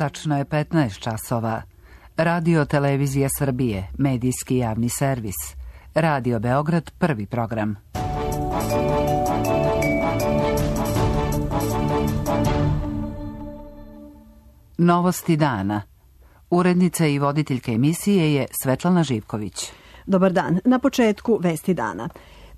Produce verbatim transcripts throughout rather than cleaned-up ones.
Tačno je petnaest časova. Radio Televizija Srbije, medijski javni servis. Radio Beograd, prvi program. Novosti dana. Urednica i voditeljka emisije je Svetlana Živković. Dobar dan. Na početku vesti dana.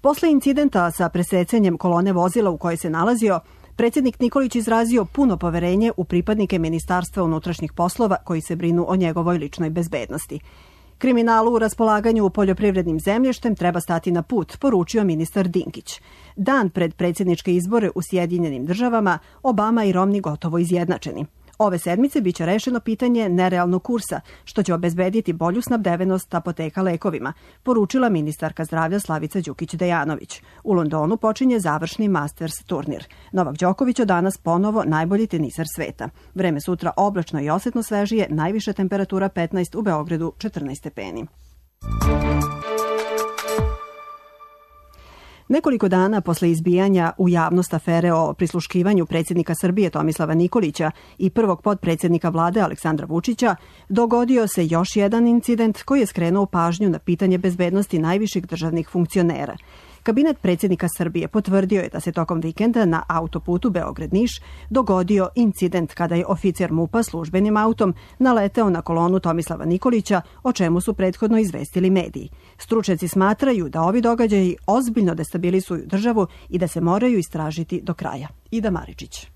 Posle incidenta sa presecanjem kolone vozila u kojoj se nalazio, predsjednik Nikolić izrazio puno poverenje u pripadnike Ministarstva unutrašnjih poslova koji se brinu o njegovoj ličnoj bezbednosti. Kriminalu u raspolaganju poljoprivrednim zemljištem treba stati na put, poručio ministar Dinkić. Dan pred predsjedničke izbore u Sjedinjenim državama, Obama i Romney gotovo izjednačeni. Ove sedmice biće rešeno pitanje nerealnog kursa, što će obezbediti bolju snabdevenost apoteka lekovima, poručila ministarka zdravlja Slavica Đukić-Dejanović. U Londonu počinje završni Masters turnir. Novak Đoković od danas ponovo najbolji tenisar sveta. Vreme sutra oblačno i osetno svežije, najviša temperatura petnaest, u Beogradu četrnaest stepeni. Nekoliko dana posle izbijanja u javnost afere o prisluškivanju predsjednika Srbije Tomislava Nikolića i prvog potpredsjednika vlade Aleksandra Vučića, dogodio se još jedan incident koji je skrenuo pažnju na pitanje bezbednosti najviših državnih funkcionera. Kabinet predsjednika Srbije potvrdio je da se tokom vikenda na autoputu Beograd-Niš dogodio incident kada je oficir MUP-a službenim autom naleteo na kolonu Tomislava Nikolića, o čemu su prethodno izvestili mediji. Stručnjaci smatraju da ovi događaji ozbiljno destabilizuju državu i da se moraju istražiti do kraja. Ida Maričić.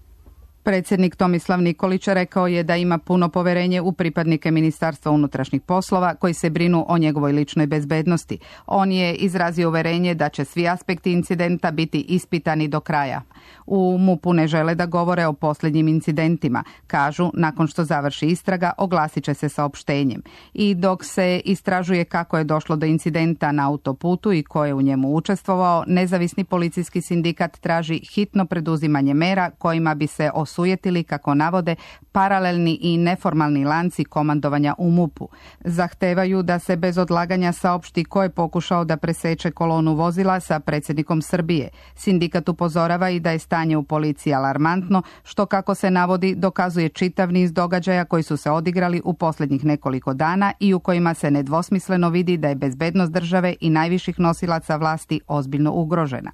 Predsjednik Tomislav Nikolić rekao je da ima puno poverenje u pripadnike Ministarstva unutrašnjih poslova koji se brinu o njegovoj ličnoj bezbednosti. On je izrazio uverenje da će svi aspekti incidenta biti ispitani do kraja. U MUP-u ne žele da govore o posljednjim incidentima. Kažu, nakon što završi istraga, oglasit će se saopštenjem. I dok se istražuje kako je došlo do incidenta na autoputu i ko je u njemu učestvovao, nezavisni policijski sindikat traži hitno preduzimanje mera kojima bi se osujetili, kako navode, paralelni i neformalni lanci komandovanja u MUP-u. Zahtevaju da se bez odlaganja saopšti ko je pokušao da preseče kolonu vozila sa predsjednikom Srbije. Sindikat upozorava i da je stanje u policiji alarmantno, što, kako se navodi, dokazuje čitav niz događaja koji su se odigrali u posljednjih nekoliko dana i u kojima se nedvosmisleno vidi da je bezbednost države i najviših nosilaca vlasti ozbiljno ugrožena.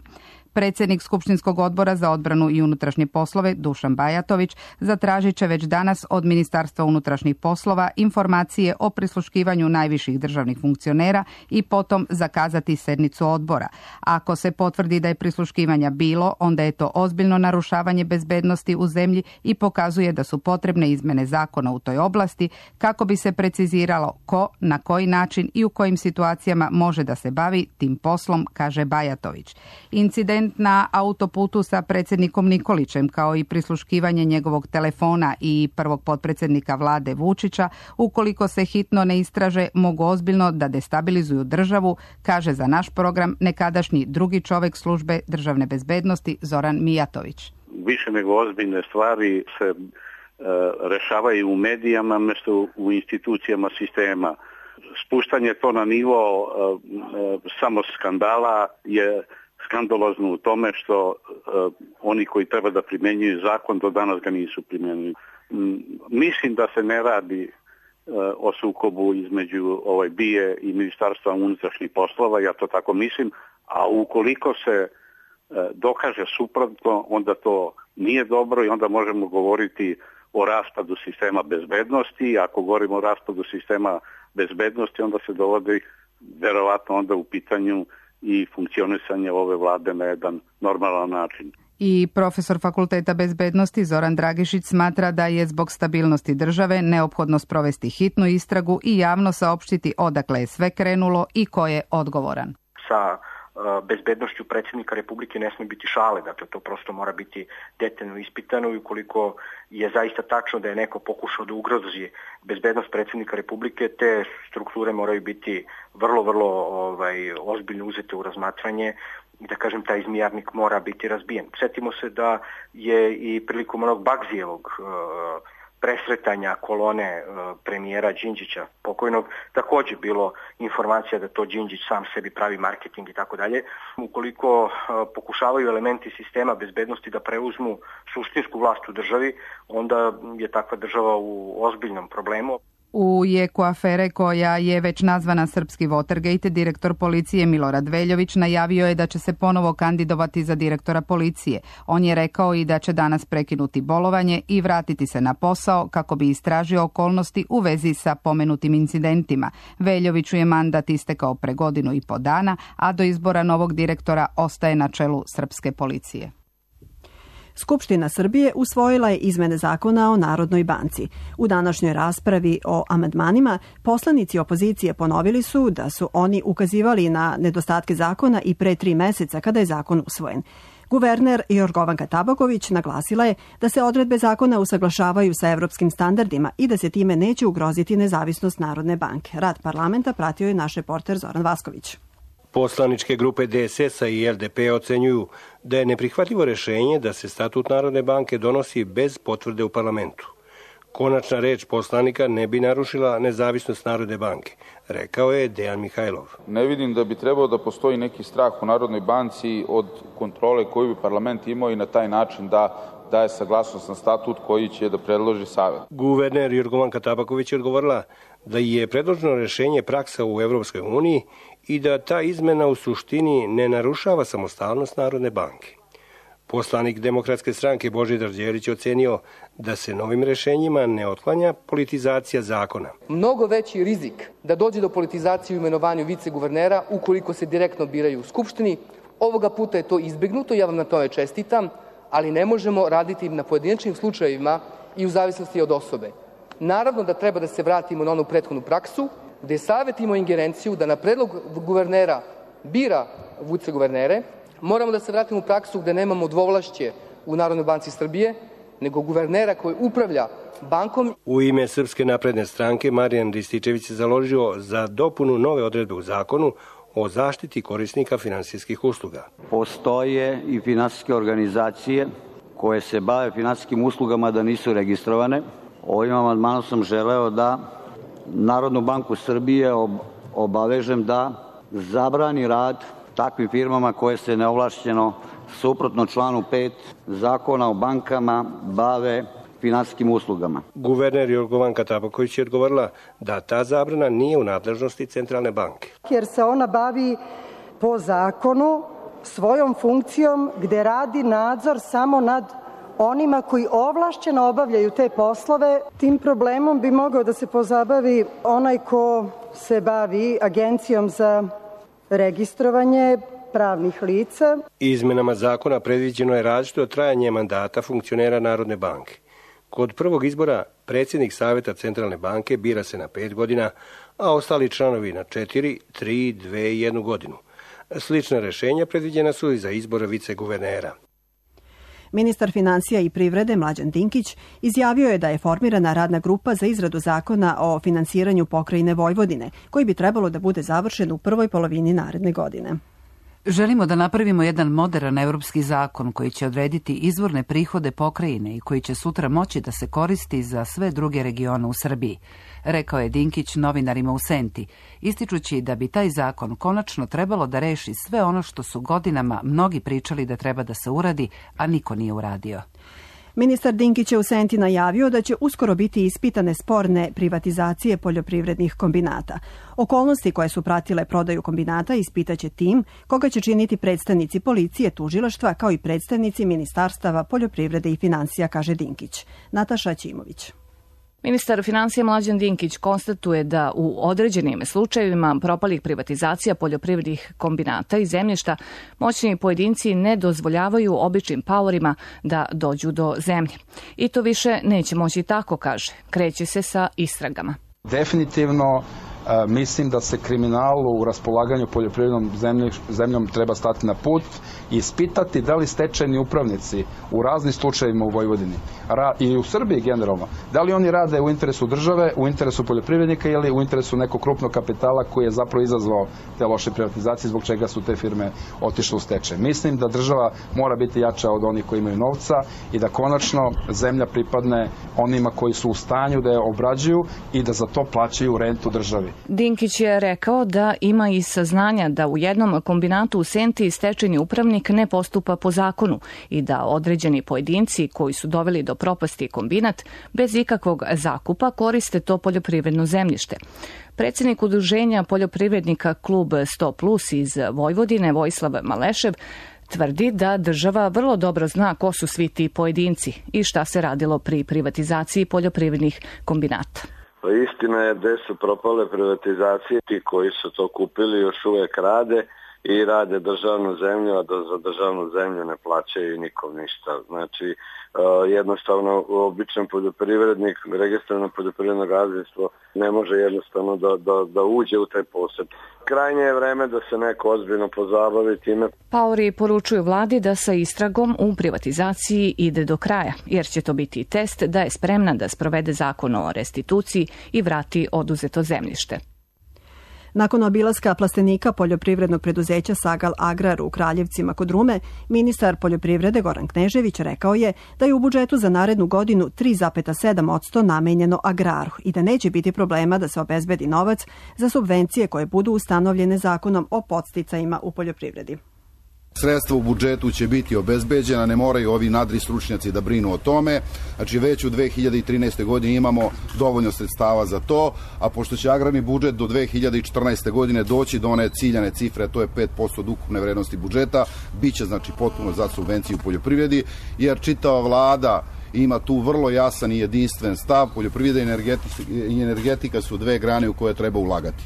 Predsjednik Skupštinskog odbora za odbranu i unutrašnje poslove Dušan Bajatović zatražit će već danas od Ministarstva unutrašnjih poslova informacije o prisluškivanju najviših državnih funkcionera i potom zakazati sednicu odbora. Ako se potvrdi da je prisluškivanja bilo, onda je to ozbiljno narušavanje bezbednosti u zemlji i pokazuje da su potrebne izmene zakona u toj oblasti kako bi se preciziralo ko, na koji način i u kojim situacijama može da se bavi tim poslom, kaže Bajatović. Incident na autoputu sa predsjednikom Nikolićem, kao i prisluškivanje njegovog telefona i prvog potpredsjednika vlade Vučića, ukoliko se hitno ne istraže, mogu ozbiljno da destabilizuju državu, kaže za naš program nekadašnji drugi čovjek službe državne bezbednosti Zoran Mijatović. Više nego ozbiljne stvari se e, rešavaju u medijama mjesto u institucijama sistema. Spuštanje to na nivo e, e, samo skandala je skandalozno u tome što uh, oni koji treba da primjenjuju zakon do danas ga nisu primjenili. Mm, mislim da se ne radi uh, o sukobu između ovaj B I E i Ministarstva unutrašnjih poslova, ja to tako mislim, a ukoliko se uh, dokaže suprotno, onda to nije dobro i onda možemo govoriti o raspadu sistema bezbednosti. Ako govorimo o raspadu sistema bezbednosti, onda se dovodi verovatno onda u pitanju i funkcionisanje ove vlade na jedan normalan način. I profesor Fakulteta bezbednosti Zoran Dragišić smatra da je zbog stabilnosti države neophodno sprovesti hitnu istragu i javno saopštiti odakle je sve krenulo i ko je odgovoran. Sa bezbednošću predsjednika Republike ne smije biti šale, dakle to prosto mora biti detaljno ispitano i ukoliko je zaista tačno da je neko pokušao da ugrozi bezbednost predsjednika Republike, te strukture moraju biti vrlo, vrlo ovaj, ozbiljno uzete u razmatranje i da kažem taj zmijarnik mora biti razbijen. Sjetimo se da je i prilikom onog Bagzijevog uh, presretanja kolone premijera Đinđića pokojnog takođe bilo informacija da to Đinđić sam sebi pravi marketing i tako dalje. Ukoliko pokušavaju elementi sistema bezbednosti da preuzmu suštinsku vlast u državi, onda je takva država u ozbiljnom problemu. U jeku afere koja je već nazvana Srpski Watergate, direktor policije Milorad Veljović najavio je da će se ponovo kandidovati za direktora policije. On je rekao i da će danas prekinuti bolovanje i vratiti se na posao kako bi istražio okolnosti u vezi sa pomenutim incidentima. Veljoviću je mandat istekao pre godinu i po dana, a do izbora novog direktora ostaje na čelu srpske policije. Skupština Srbije usvojila je izmene zakona o Narodnoj banci. U današnjoj raspravi o amandmanima poslanici opozicije ponovili su da su oni ukazivali na nedostatke zakona i pre tri meseca kada je zakon usvojen. Guverner Jorgovanka Tabaković naglasila je da se odredbe zakona usaglašavaju sa evropskim standardima i da se time neće ugroziti nezavisnost Narodne banke. Rad parlamenta pratio je naš reporter Zoran Vasković. Poslaničke grupe D S S-a i L D P ocenjuju da je neprihvatljivo rešenje da se statut Narodne banke donosi bez potvrde u parlamentu. Konačna reč poslanika ne bi narušila nezavisnost Narodne banke, rekao je Dejan Mihajlov. Ne vidim da bi trebao da postoji neki strah u Narodnoj banci od kontrole koju bi parlament imao i na taj način da daje saglasnost na statut koji će da predloži Savet. Guverner Jorgovanka Tabaković je odgovorila da je predloženo rešenje praksa u Evropskoj uniji i da ta izmena u suštini ne narušava samostalnost Narodne banke. Poslanik Demokratske stranke Božidar Đelić ocenio da se novim rešenjima ne otklanja politizacija zakona. Mnogo veći rizik da dođe do politizacije u imenovanju viceguvernera ukoliko se direktno biraju u Skupštini. Ovoga puta je to izbegnuto, ja vam na tome čestitam, ali ne možemo raditi na pojedinačnim slučajevima i u zavisnosti od osobe. Naravno da treba da se vratimo na onu prethodnu praksu, gde Savet ima ingerenciju da na predlog guvernera bira viceguvernere. Moramo da se vratimo u praksu gde nemamo dvovlašće u Narodnoj banci Srbije, nego guvernera koji upravlja bankom. U ime Srpske napredne stranke Marijan Rističević se založio za dopunu nove odredbe u zakonu o zaštiti korisnika finansijskih usluga. Postoje i finansijske organizacije koje se bave finansijskim uslugama da nisu registrovane. Ovim amandmanom sam želeo da Narodnu banku Srbije obavežem da zabrani rad takvim firmama koje se neovlašćeno, suprotno članu pet Zakona o bankama, bave finansijskim uslugama. Guverner Jorgovanka Tabaković je odgovorila da ta zabrana nije u nadležnosti Centralne banke. Jer se ona bavi po zakonu svojom funkcijom gde radi nadzor samo nad onima koji ovlašćeno obavljaju te poslove. Tim problemom bi mogao da se pozabavi onaj ko se bavi Agencijom za registrovanje pravnih lica. Izmenama zakona predviđeno je različito trajanje mandata funkcionera Narodne banke. Kod prvog izbora predsjednik Saveta Centralne banke bira se na pet godina, a ostali članovi na četiri, tri, dve i jednu godinu. Slična rešenja predviđena su i za izbor viceguvernera. Ministar finansija i privrede Mlađan Dinkić izjavio je da je formirana radna grupa za izradu zakona o finansiranju pokrajine Vojvodine, koji bi trebalo da bude završen u prvoj polovini naredne godine. Želimo da napravimo jedan modern evropski zakon koji će odrediti izvorne prihode pokrajine i koji će sutra moći da se koristi za sve druge regione u Srbiji, rekao je Dinkić novinarima u Senti, ističući da bi taj zakon konačno trebalo da reši sve ono što su godinama mnogi pričali da treba da se uradi, a niko nije uradio. Ministar Dinkić je u Senti najavio da će uskoro biti ispitane sporne privatizacije poljoprivrednih kombinata. Okolnosti koje su pratile prodaju kombinata ispitaće tim koga će činiti predstavnici policije, tužilaštva kao i predstavnici ministarstava poljoprivrede i finansija, kaže Dinkić. Nataša Ćimović. Ministar finansija Mlađan Dinkić konstatuje da u određenim slučajevima propalih privatizacija poljoprivrednih kombinata i zemljišta moćni pojedinci ne dozvoljavaju običnim paorima da dođu do zemlje. I to više neće moći tako, kaže. Kreće se sa istragama. Definitivno Mislim da se kriminalu u raspolaganju poljoprivrednom zemljom treba stati na put i ispitati da li stečajni upravnici u raznim slučajevima u Vojvodini i u Srbiji generalno, da li oni rade u interesu države, u interesu poljoprivrednika ili u interesu nekog krupnog kapitala koji je zapravo izazvao te loše privatizacije zbog čega su te firme otišle u stečaj. Mislim da država mora biti jača od onih koji imaju novca i da konačno zemlja pripadne onima koji su u stanju da je obrađuju i da za to plaćaju rentu državi. Dinkić je rekao da ima i saznanja da u jednom kombinatu u Senti stečajni upravnik ne postupa po zakonu i da određeni pojedinci koji su doveli do propasti kombinat bez ikakvog zakupa koriste to poljoprivredno zemljište. Predsjednik udruženja poljoprivrednika Klub sto plus iz Vojvodine, Vojislav Malešev, tvrdi da država vrlo dobro zna ko su svi ti pojedinci i šta se radilo pri privatizaciji poljoprivrednih kombinata. Pa istina je gde su propale privatizacije, ti koji su to kupili još uvek rade i rade državnu zemlju, a da za državnu zemlju ne plaćaju nikom ništa. Znači, jednostavno običan poljoprivrednik, registrovano poljoprivredno gazdinstvo ne može jednostavno da, da, da uđe u taj posed. Krajnje je vreme da se neko ozbiljno pozabavi time. Paori poručuju vladi da sa istragom u privatizaciji ide do kraja, jer će to biti test da je spremna da sprovede zakon o restituciji i vrati oduzeto zemljište. Nakon obilaska plastenika poljoprivrednog preduzeća Sagal Agrar u Kraljevcima kod Rume, ministar poljoprivrede Goran Knežević rekao je da je u budžetu za narednu godinu tri zarez sedam posto namenjeno agraru i da neće biti problema da se obezbedi novac za subvencije koje budu ustanovljene zakonom o podsticajima u poljoprivredi. Sredstva u budžetu će biti obezbeđena, ne moraju ovi nadri stručnjaci da brinu o tome. Znači već u dve hiljade trinaestoj godini imamo dovoljno sredstava za to, a pošto će agrarni budžet do dve hiljade četrnaeste godine doći do one ciljane cifre, to je pet posto od ukupne vrednosti budžeta, bit će znači potpuno za subvenciju u poljoprivredi, jer čitava vlada ima tu vrlo jasan i jedinstven stav. Poljoprivreda i energetika, i energetika su dve grane u koje treba ulagati.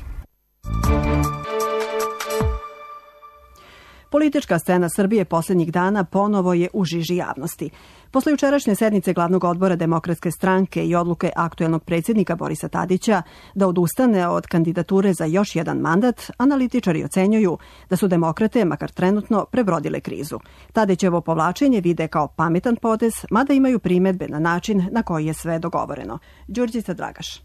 Politička scena Srbije posljednjih dana ponovo je u žiži javnosti. Posle jučerašnje sednice glavnog odbora Demokratske stranke i odluke aktuelnog predsjednika Borisa Tadića da odustane od kandidature za još jedan mandat, analitičari ocenjuju da su demokrate, makar trenutno, prebrodile krizu. Tadićevo povlačenje vide kao pametan potez, mada imaju primedbe na način na koji je sve dogovoreno. Đurđica Dragaš.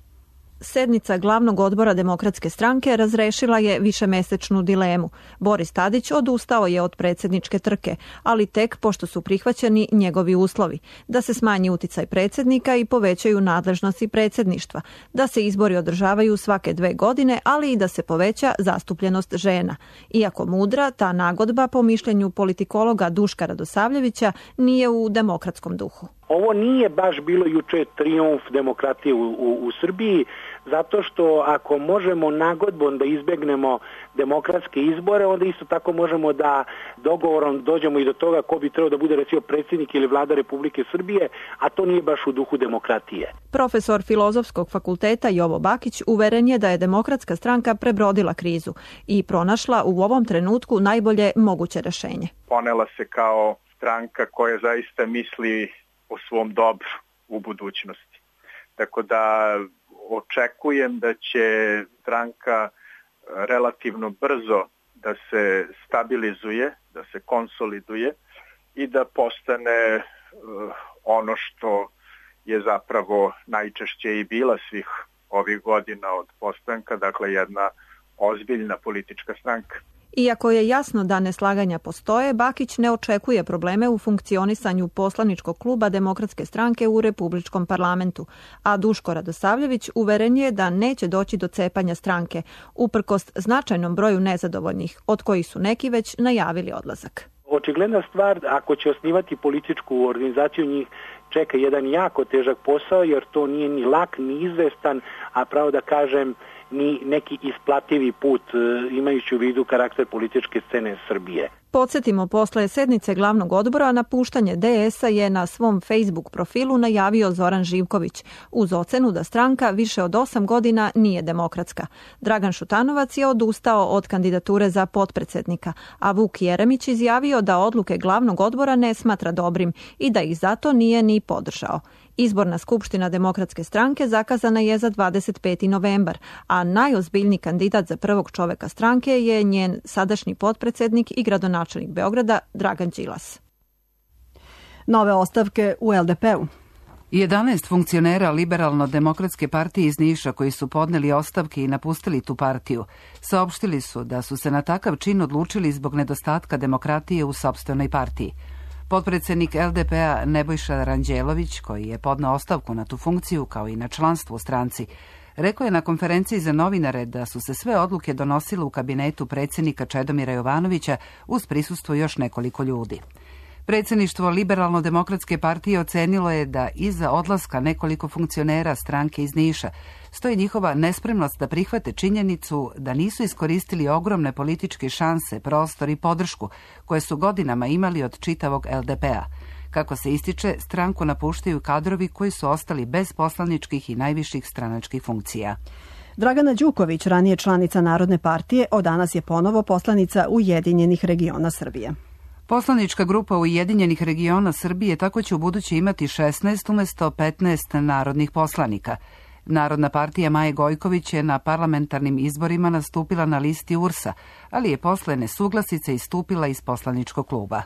Sednica glavnog odbora Demokratske stranke razrešila je višemesečnu dilemu. Boris Tadić odustao je od predsjedničke trke, ali tek pošto su prihvaćeni njegovi uslovi. Da se smanji uticaj predsjednika i povećaju nadležnosti predsjedništva. Da se izbori održavaju svake dve godine, ali i da se poveća zastupljenost žena. Iako mudra, ta nagodba po mišljenju politikologa Duška Radosavljevića nije u demokratskom duhu. Ovo nije baš bilo juče trijumf demokratije u, u, u Srbiji, zato što ako možemo nagodbom da izbegnemo demokratske izbore, onda isto tako možemo da dogovorom dođemo i do toga ko bi trebao da bude recimo predsjednik ili vlada Republike Srbije, a to nije baš u duhu demokratije. Profesor Filozofskog fakulteta Jovo Bakić uveren je da je Demokratska stranka prebrodila krizu i pronašla u ovom trenutku najbolje moguće rešenje. Ponela se kao stranka koja zaista misli o svom dobru u budućnosti. Tako da očekujem da će stranka relativno brzo da se stabilizuje, da se konsoliduje i da postane uh, ono što je zapravo najčešće i bila svih ovih godina od postanka, dakle jedna ozbiljna politička stranka. Iako je jasno da neslaganja postoje, Bakić ne očekuje probleme u funkcionisanju poslaničkog kluba Demokratske stranke u Republičkom parlamentu, a Duško Radosavljević uveren je da neće doći do cepanja stranke, uprkos značajnom broju nezadovoljnih, od kojih su neki već najavili odlazak. Očigledna stvar, ako će osnivati političku organizaciju, njih čeka jedan jako težak posao, jer to nije ni lak, ni izvestan, a pravo da kažem, ni neki isplativi put, imajući u vidu karakter političke scene Srbije. Podsjetimo, posle sednice glavnog odbora napuštanje D S-a je na svom Facebook profilu najavio Zoran Živković, uz ocenu da stranka više od osam godina nije demokratska. Dragan Šutanovac je odustao od kandidature za potpredsjednika, a Vuk Jeremić izjavio da odluke glavnog odbora ne smatra dobrim i da ih zato nije ni podržao. Izborna skupština Demokratske stranke zakazana je za dvadeset peti novembar, a najozbiljniji kandidat za prvog čoveka stranke je njen sadašnji potpredsednik i gradonačelnik Beograda Dragan Đilas. Nove ostavke u el de pe-u. jedanaest funkcionera Liberalno-demokratske partije iz Niša koji su podneli ostavke i napustili tu partiju, saopštili su da su se na takav čin odlučili zbog nedostatka demokratije u sopstvenoj partiji. Potpredsednik el de pe-a Nebojša Ranđelović, koji je podneo ostavku na tu funkciju kao i na članstvo u stranci, rekao je na konferenciji za novinare da su se sve odluke donosile u kabinetu predsjednika Čedomira Jovanovića uz prisustvo još nekoliko ljudi. Predsjedništvo Liberalno-demokratske partije ocenilo je da iza odlaska nekoliko funkcionera stranke iz Niša stoji njihova nespremnost da prihvate činjenicu da nisu iskoristili ogromne političke šanse, prostor i podršku koje su godinama imali od čitavog el de pe-a. Kako se ističe, stranku napuštaju kadrovi koji su ostali bez poslaničkih i najviših stranačkih funkcija. Dragana Đuković, ranije članica Narodne partije, od danas je ponovo poslanica Ujedinjenih regiona Srbije. Poslanička grupa Ujedinjenih regiona Srbije tako će u buduće imati šesnaest umjesto petnaest narodnih poslanika. Narodna partija Maje Gojković je na parlamentarnim izborima nastupila na listi u er es a, ali je posle nesuglasice istupila iz poslaničkog kluba.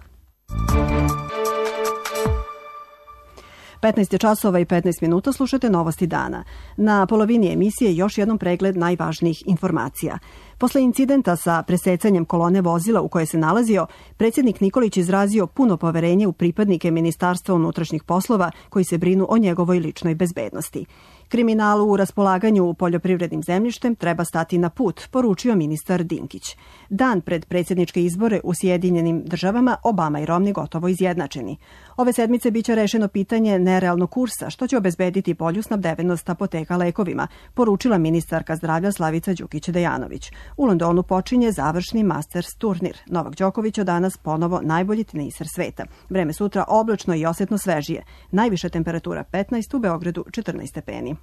petnaest časova i petnaest minuta, slušate Novosti dana. Na polovini emisije još jednom pregled najvažnijih informacija. Posle incidenta sa presecanjem kolone vozila u kojoj se nalazio, predsjednik Nikolić izrazio puno poverenje u pripadnike Ministarstva unutrašnjih poslova koji se brinu o njegovoj ličnoj bezbednosti. Kriminalu u raspolaganju poljoprivrednim zemljištem treba stati na put, poručio ministar Dinkić. Dan pred predsjedničke izbore u Sjedinjenim državama Obama i Romney gotovo izjednačeni. Ove sedmice biće rešeno pitanje nerealnog kursa, što će obezbediti bolju snabdevenost apoteka lekovima, poručila ministarka zdravlja Slavica Đukić-Dejanović. U Londonu počinje završni Masters turnir. Novak Đoković od danas ponovo najbolji teniser sveta. Vreme sutra oblačno i osjetno svežije. Najviša temperatura petnaest, u Beogradu četrnaest stepeni.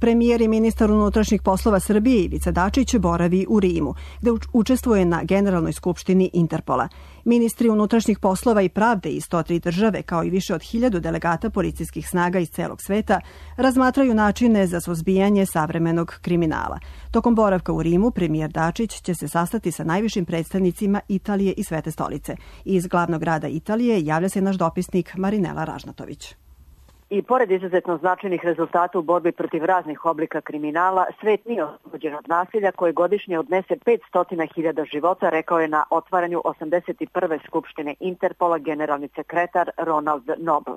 Premijer i ministar unutrašnjih poslova Srbije Ivica Dačić boravi u Rimu, gde učestvuje na Generalnoj skupštini Interpola. Ministri unutrašnjih poslova i pravde iz sto tri države, kao i više od hiljadu delegata policijskih snaga iz celog sveta, razmatraju načine za suzbijanje savremenog kriminala. Tokom boravka u Rimu, premijer Dačić će se sastati sa najvišim predstavnicima Italije i Svete stolice. Iz glavnog grada Italije javlja se naš dopisnik Marinela Ražnatović. I pored izuzetno značajnih rezultata u borbi protiv raznih oblika kriminala, svet nije oslobođen od nasilja koje godišnje odnese petsto hiljada života, rekao je na otvaranju osamdeset prve skupštine Interpola generalni sekretar Ronald Noble.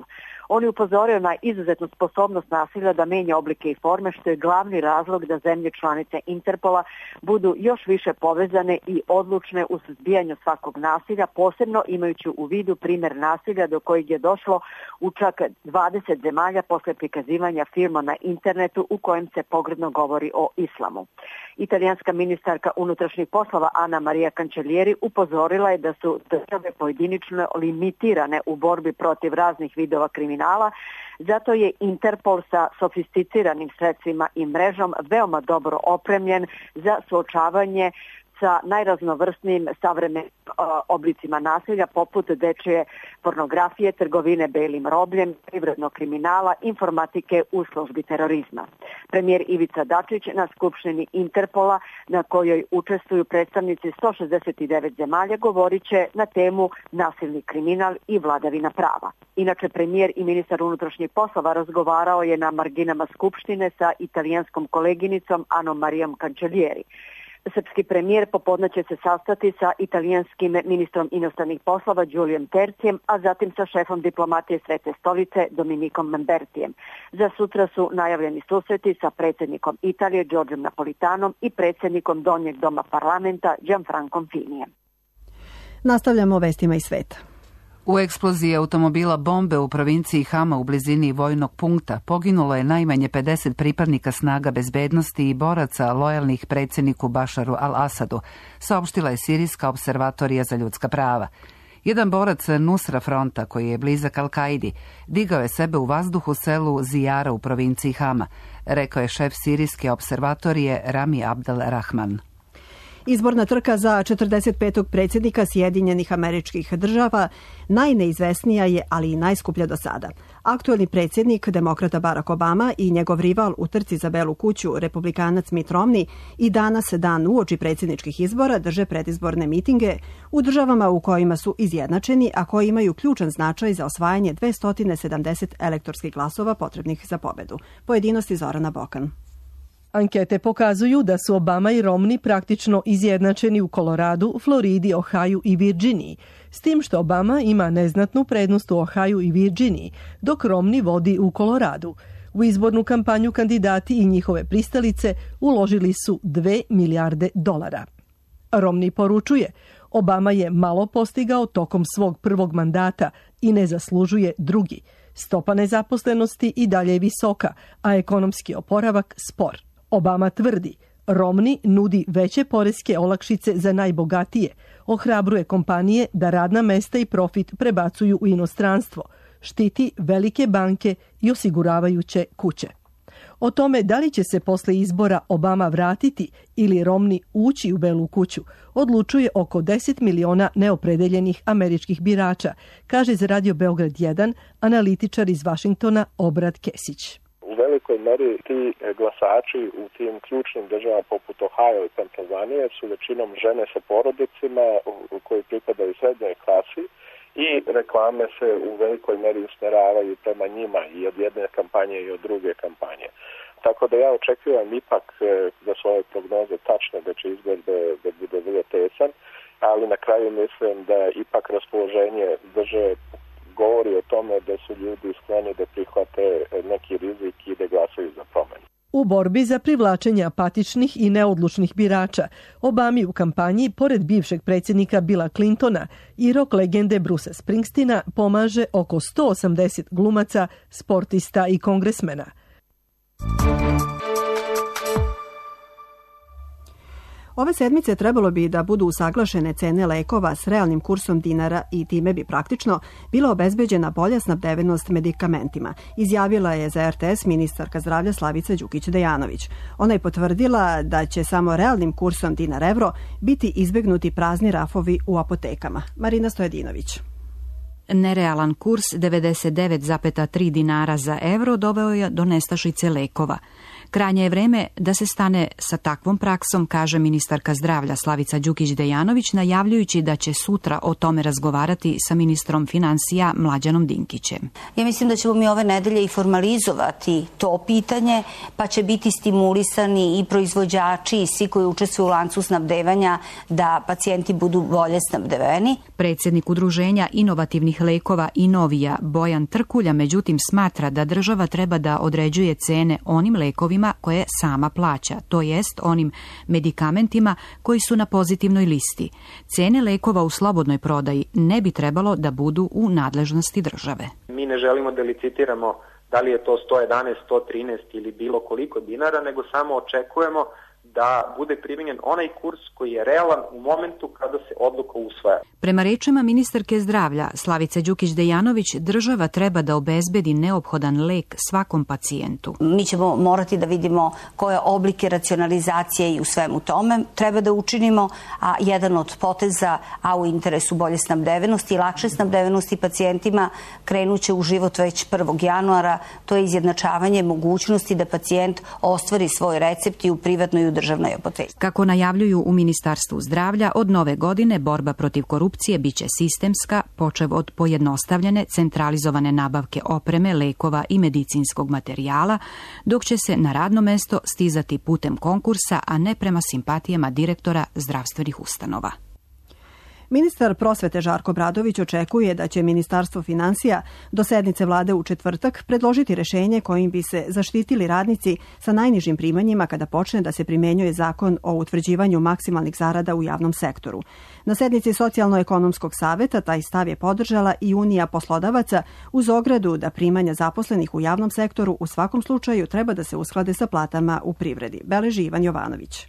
On je upozorio na izuzetnu sposobnost nasilja da menja oblike i forme, što je glavni razlog da zemlje članice Interpola budu još više povezane i odlučne u suzbijanju svakog nasilja, posebno imajući u vidu primjer nasilja do kojeg je došlo u čak dvadeset zemalja posle prikazivanja filma na internetu u kojem se pogrdno govori o islamu. Italijanska ministarka unutrašnjih poslova Ana Maria Cancellieri upozorila je da su države pojedinično limitirane u borbi protiv raznih vidova kriminala, zato je Interpol sa sofisticiranim sredstvima i mrežom veoma dobro opremljen za suočavanje sa najraznovrsnijim savremenim oblicima nasilja, poput dečije pornografije, trgovine belim robljem, privrednog kriminala, informatike u službi terorizma. Premijer Ivica Dačić na skupštini Interpola, na kojoj učestvuju predstavnici sto šezdeset devet zemalja, govorit će na temu nasilni kriminal i vladavina prava. Inače, premijer i ministar unutrašnjih poslova razgovarao je na marginama skupštine sa italijanskom koleginicom Anom Marijom Cancellieri. Srpski premijer popodne će se sastati sa italijanskim ministrom inostranih poslova Giuliom Terzijem, a zatim sa šefom diplomatije Svete stolice Dominikom Lambertijem. Za sutra su najavljeni susreti sa predsjednikom Italije Giorgiom Napolitanom i predsjednikom Donjeg doma parlamenta Gianfrancom Finijem. Nastavljamo vestima iz sveta. U eksploziji automobila bombe u provinciji Hama u blizini vojnog punkta poginulo je najmanje pedeset pripadnika snaga bezbednosti i boraca lojalnih predsjedniku Bašaru al-Asadu, saopštila je Sirijska observatorija za ljudska prava. Jedan borac Nusra fronta, koji je blizak Al-Kaidi, digao je sebe u vazduh u selu Zijara u provinciji Hama, rekao je šef Sirijske observatorije Rami Abdel Rahman. Izborna trka za četrdeset petog predsjednika Sjedinjenih Američkih Država najneizvesnija je, ali i najskuplja do sada. Aktuelni predsjednik, demokrata Barack Obama, i njegov rival u trci za Belu kuću, republikanac Mitt Romney, i danas, dan uoči predsjedničkih izbora, drže predizborne mitinge u državama u kojima su izjednačeni, a koji imaju ključan značaj za osvajanje dvesta sedamdeset elektorskih glasova potrebnih za pobedu. Pojedinosti Zorana Bokan. Ankete pokazuju da su Obama i Romney praktično izjednačeni u Koloradu, Floridi, Ohaju i Virginiji, s tim što Obama ima neznatnu prednost u Ohaju i Virginiji, dok Romney vodi u Koloradu. U izbornu kampanju kandidati i njihove pristalice uložili su dve milijarde dolara. Romney poručuje, Obama je malo postigao tokom svog prvog mandata i ne zaslužuje drugi. Stopa nezaposlenosti i dalje je visoka, a ekonomski oporavak spor. Obama tvrdi, Romney nudi veće poreske olakšice za najbogatije, ohrabruje kompanije da radna mesta i profit prebacuju u inostranstvo, štiti velike banke i osiguravajuće kuće. O tome da li će se posle izbora Obama vratiti ili Romney ući u Belu kuću, odlučuje oko deset miliona neopredeljenih američkih birača, kaže za Radio Beograd jedan analitičar iz Vašingtona Obrad Kesić. U velikoj meri ti glasači u tim ključnim državama poput Ohio i Pensilvanije su većinom žene sa porodicima koji pripadaju srednjoj klasi i reklame se u velikoj meri usmeravaju prema njima i od jedne kampanje i od druge kampanje. Tako da ja očekujem ipak da su ove prognoze tačne, da će izgled da, da bude vrlo tesan, ali na kraju mislim da ipak raspoloženje države govori o tome da su ljudi skloni da prihvate neki rizik i da glasaju za promenu. U borbi za privlačenje apatičnih i neodlučnih birača, Obami u kampanji, pored bivšeg predsjednika Billa Clintona i rock legende Brucea Springsteena, pomaže oko sto osamdeset glumaca, sportista i kongresmena. Ove sedmice trebalo bi da budu usaglašene cene lekova s realnim kursom dinara i time bi praktično bila obezbeđena bolja snabdevenost medikamentima, izjavila je za R T S ministarka zdravlja Slavica Đukić-Dejanović. Ona je potvrdila da će samo realnim kursom dinar-evro biti izbegnuti prazni rafovi u apotekama. Marina Stojedinović. Nerealan kurs devedeset devet zarez tri dinara za evro doveo je do nestašice lekova. Krajnje je vreme da se stane sa takvom praksom, kaže ministarka zdravlja Slavica Đukić-Dejanović, najavljujući da će sutra o tome razgovarati sa ministrom finansija Mlađanom Dinkićem. Ja mislim da ćemo mi ove nedelje i formalizovati to pitanje, pa će biti stimulisani i proizvođači i svi koji učestvuju u lancu snabdevanja da pacijenti budu bolje snabdeveni. Predsjednik udruženja inovativnih lekova Inovija Bojan Trkulja međutim smatra da država treba da određuje cene onim lekovima koje sama plaća, to jest onim medikamentima koji su na pozitivnoj listi. Cene lekova u slobodnoj prodaji ne bi trebalo da budu u nadležnosti države. Mi ne želimo da licitiramo da li je to sto jedanaest, sto trinaest ili bilo koliko dinara, nego samo očekujemo da bude primijenjen onaj kurs koji je realan u momentu kada se odluka usvaja. Prema rečima ministarke zdravlja Slavice Đukić-Dejanović, država treba da obezbedi neophodan lek svakom pacijentu. Mi ćemo morati da vidimo koje oblike racionalizacije i u svemu tome treba da učinimo, a jedan od poteza, a u interesu bolje snabdevenosti i lakše snabdevenosti pacijentima krenuće u život već prvog januara, to je izjednačavanje mogućnosti da pacijent ostvari svoj recept i u privatnoj i u državnoj apoteci. Kako najavljuju u Ministarstvu zdravlja, od nove godine borba protiv korupcije biće sistemska, počev od pojednostavljene, centralizovane nabavke opreme, lekova i medicinskog materijala, dok će se na radno mesto stizati putem konkursa, a ne prema simpatijama direktora zdravstvenih ustanova. Ministar prosvete Žarko Obradović očekuje da će Ministarstvo finansija do sednice vlade u četvrtak predložiti rešenje kojim bi se zaštitili radnici sa najnižim primanjima kada počne da se primenjuje zakon o utvrđivanju maksimalnih zarada u javnom sektoru. Na sednici Socijalno-ekonomskog saveta taj stav je podržala i Unija poslodavaca uz ogradu da primanja zaposlenih u javnom sektoru u svakom slučaju treba da se usklade sa platama u privredi. Beleži Ivan Jovanović.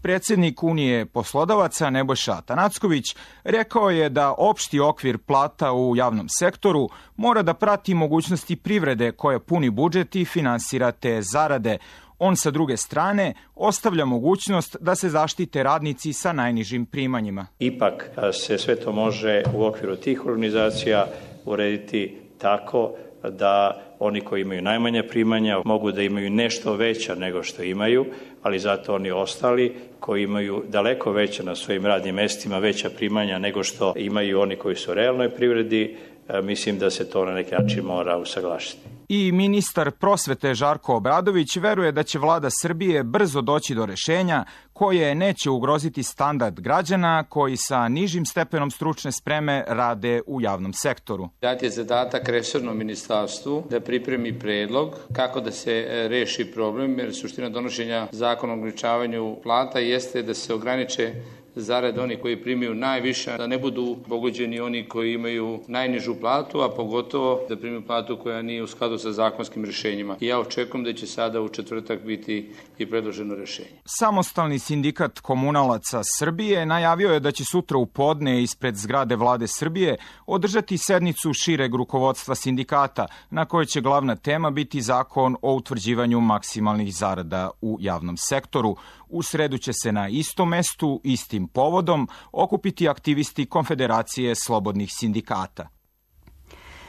Predsjednik Unije poslodavaca Nebojša Atanacković rekao je da opšti okvir plata u javnom sektoru mora da prati mogućnosti privrede koja puni budžet i finansira te zarade. On sa druge strane ostavlja mogućnost da se zaštite radnici sa najnižim primanjima. Ipak se sve to može u okviru tih organizacija urediti tako da oni koji imaju najmanja primanja mogu da imaju nešto veća nego što imaju, ali zato oni ostali koji imaju daleko veća na svojim radnim mestima, veća primanja nego što imaju oni koji su u realnoj privredi, mislim da se to na neki način mora usaglašiti. I ministar prosvete Žarko Obradović veruje da će vlada Srbije brzo doći do rešenja koje neće ugroziti standard građana koji sa nižim stepenom stručne spreme rade u javnom sektoru. Dat je zadatak resornom ministarstvu da pripremi predlog kako da se reši problem, jer suština donošenja zakona o ograničavanju plata jeste da se ograniče zarade oni koji primaju najviše, da ne budu pogođeni oni koji imaju najnižu platu, a pogotovo da primaju platu koja nije u skladu sa zakonskim rešenjima. I ja očekujem da će sada u četvrtak biti i predloženo rešenje. Samostalni sindikat komunalaca Srbije najavio je da će sutra u podne ispred zgrade vlade Srbije održati sednicu šireg rukovodstva sindikata, na kojoj će glavna tema biti zakon o utvrđivanju maksimalnih zarada u javnom sektoru. U sredu će se na istom mestu, istim povodom, okupiti aktivisti Konfederacije slobodnih sindikata.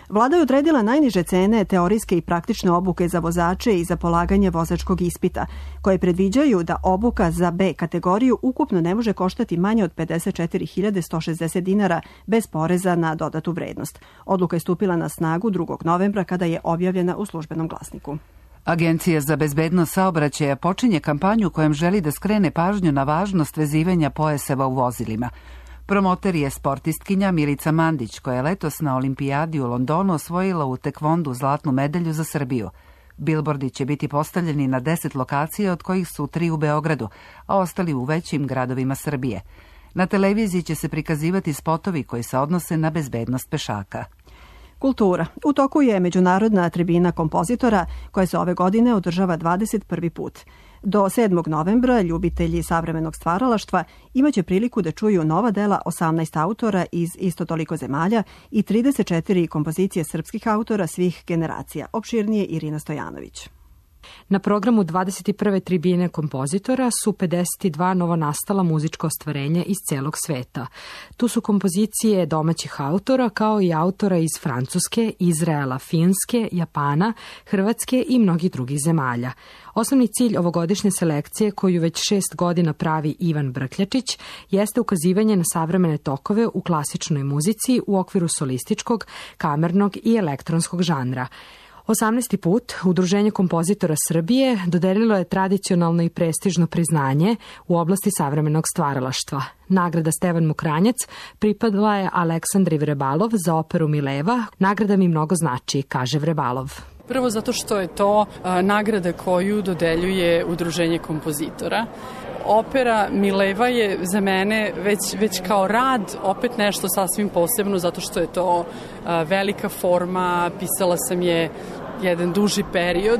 Vlada je odredila najniže cene teorijske i praktične obuke za vozače i za polaganje vozačkog ispita, koje predviđaju da obuka za B kategoriju ukupno ne može koštati manje od pedeset četiri hiljade sto šezdeset dinara bez poreza na dodatu vrednost. Odluka je stupila na snagu drugog novembra kada je objavljena u Službenom glasniku. Agencija za bezbednost saobraćaja počinje kampanju kojom želi da skrene pažnju na važnost vezivanja pojaseva u vozilima. Promoter je sportistkinja Milica Mandić, koja je letos na olimpijadi u Londonu osvojila u tekvondu zlatnu medalju za Srbiju. Bilbordi će biti postavljeni na deset lokacija, od kojih su tri u Beogradu, a ostali u većim gradovima Srbije. Na televiziji će se prikazivati spotovi koji se odnose na bezbednost pešaka. Kultura. U toku je međunarodna tribina kompozitora koja se ove godine održava dvadeset prvi put. Do sedmog novembra ljubitelji savremenog stvaralaštva imaće priliku da čuju nova dela osamnaest autora iz isto toliko zemalja i trideset četiri kompozicije srpskih autora svih generacija. Opširnije Irina Stojanović. Na programu dvadeset prve tribine kompozitora su pedeset dva novonastala muzička ostvarenja iz celog sveta. Tu su kompozicije domaćih autora kao i autora iz Francuske, Izraela, Finske, Japana, Hrvatske i mnogih drugih zemalja. Osnovni cilj ovogodišnje selekcije, koju već šest godina pravi Ivan Brkljačić, jeste ukazivanje na savremene tokove u klasičnoj muzici u okviru solističkog, kamernog i elektronskog žanra. osamnaesti put Udruženje kompozitora Srbije dodelilo je tradicionalno i prestižno priznanje u oblasti savremenog stvaralaštva. Nagrada Stevan Mokranjac pripadala je Aleksandri Vrebalov za operu Mileva. Nagrada mi mnogo znači, kaže Vrebalov. Prvo zato što je to a, nagrada koju dodeljuje Udruženje kompozitora. Opera Mileva je za mene već, već kao rad opet nešto sasvim posebno, zato što je to a, velika forma, pisala sam je jedan duži period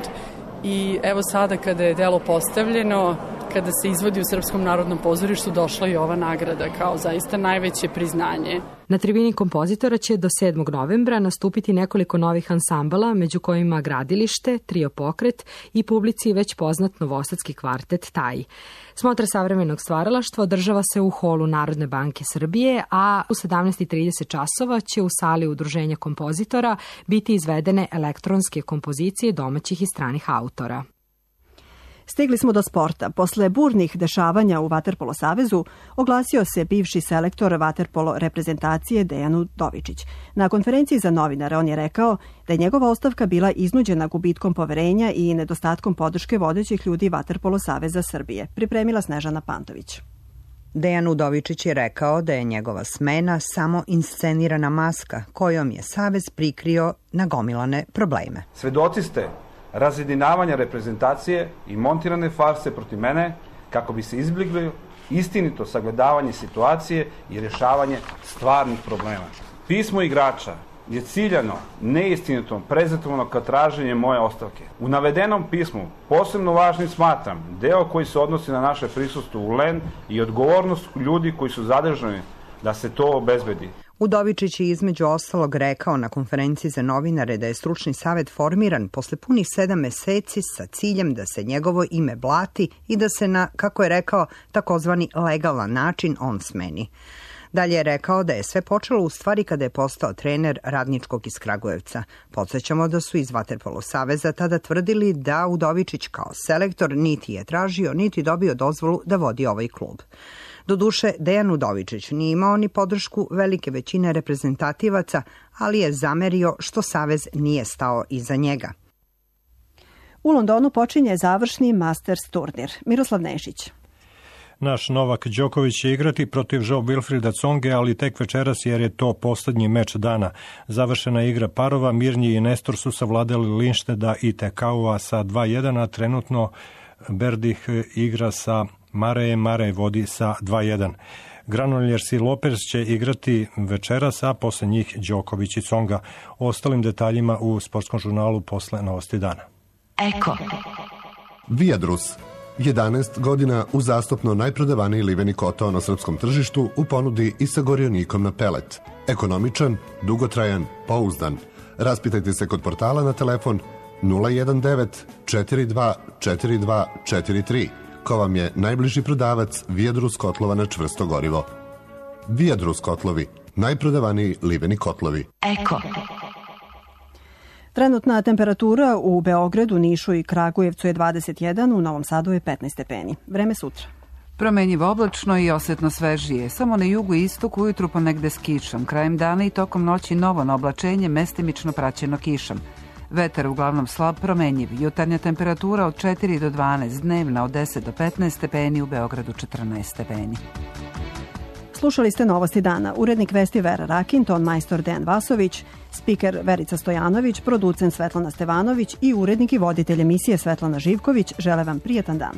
i evo sada kada je delo postavljeno, kada se izvodi u Srpskom narodnom pozorištu, došla je ova nagrada kao zaista najveće priznanje. Na tribini kompozitora će do sedmog novembra nastupiti nekoliko novih ansambala, među kojima Gradilište, Trio Pokret i publici već poznat novosadski kvartet Taj. Smotra savremenog stvaralaštva održava se u holu Narodne banke Srbije, a u sedamnaest i trideset časova će u sali Udruženja kompozitora biti izvedene elektronske kompozicije domaćih i stranih autora. Stigli smo do sporta. Posle burnih dešavanja u Vaterpolo savezu oglasio se bivši selektor vaterpolo reprezentacije Dejan Udovičić. Na konferenciji za novinare on je rekao da je njegova ostavka bila iznuđena gubitkom poverenja i nedostatkom podrške vodećih ljudi Vaterpolo saveza Srbije. Pripremila Snežana Pantović. Dejan Udovičić je rekao da je njegova smena samo inscenirana maska kojom je savez prikrio nagomilane probleme. Svedoci ste razjedinavanja reprezentacije i montirane farse protiv mene kako bi se izbjeglo istinito sagledavanje situacije i rješavanje stvarnih problema. Pismo igrača je ciljano neistinitom prezentovano kao traženje moje ostavke. U navedenom pismu posebno važnim smatram deo koji se odnosi na naše prisustvo u L E N i odgovornost ljudi koji su zadržani da se to obezbedi. Udovičić je između ostalog rekao na konferenciji za novinare da je stručni savet formiran posle punih sedam meseci sa ciljem da se njegovo ime blati i da se na, kako je rekao, takozvani legalan način on smeni. Dalje je rekao da je sve počelo u stvari kada je postao trener Radničkog iz Kragujevca. Podsjećamo da su iz Vaterpolo saveza tada tvrdili da Udovičić kao selektor niti je tražio, niti dobio dozvolu da vodi ovaj klub. Doduše, Dejan Udovičić nije imao ni podršku velike većine reprezentativaca, ali je zamerio što savez nije stao iza njega. U Londonu počinje završni Masters turnir. Miroslav Nešić. Naš Novak Đoković će igrati protiv Joe Wilfrida Tsonge, ali tek večeras jer je to poslednji meč dana. Završena igra parova, Mirnji i Nestor su savladali Linšteda i Tekaua sa dva jedan, a trenutno Berdih igra sa Marejem, Marej vodi sa dva jedan. Granollers i Lopez će igrati večeras, a posle njih Đoković i Tsonga. O ostalim detaljima u sportskom žurnalu posle Novosti dana. Eko. Viadrus. jedanaest godina uzastopno najprodavaniji liveni kotao na srpskom tržištu u ponudi i sa gorionikom na pelet. Ekonomičan, dugotrajan, pouzdan. Raspitajte se kod portala na telefon nula jedan devet četiri dva četiri dva četiri tri. Ko vam je najbliži prodavac Viadrus kotlova na čvrsto gorivo. Viadrus kotlovi, najprodavaniji liveni kotlovi. Eko. Trenutna temperatura u Beogradu, Nišu i Kragujevcu je dvadeset jedan, u Novom Sadu je petnaest stepeni. Vreme sutra. Promenjivo oblačno i osetno svežije. Samo na jugu i istoku ujutru ponegde s kišom. Krajem dana i tokom noći novo na oblačenje, mestimično praćeno kišom. Vetar uglavnom slab, promenjiv. Jutarnja temperatura od četiri do dvanaest, dnevna od deset do petnaest stepeni, u Beogradu četrnaest stepeni. Slušali ste Novosti dana. Urednik vesti Vera Rakin, ton majstor Dejan Vasović, spiker Verica Stojanović, producent Svetlana Stevanović i urednik i voditelj emisije Svetlana Živković žele vam prijetan dan.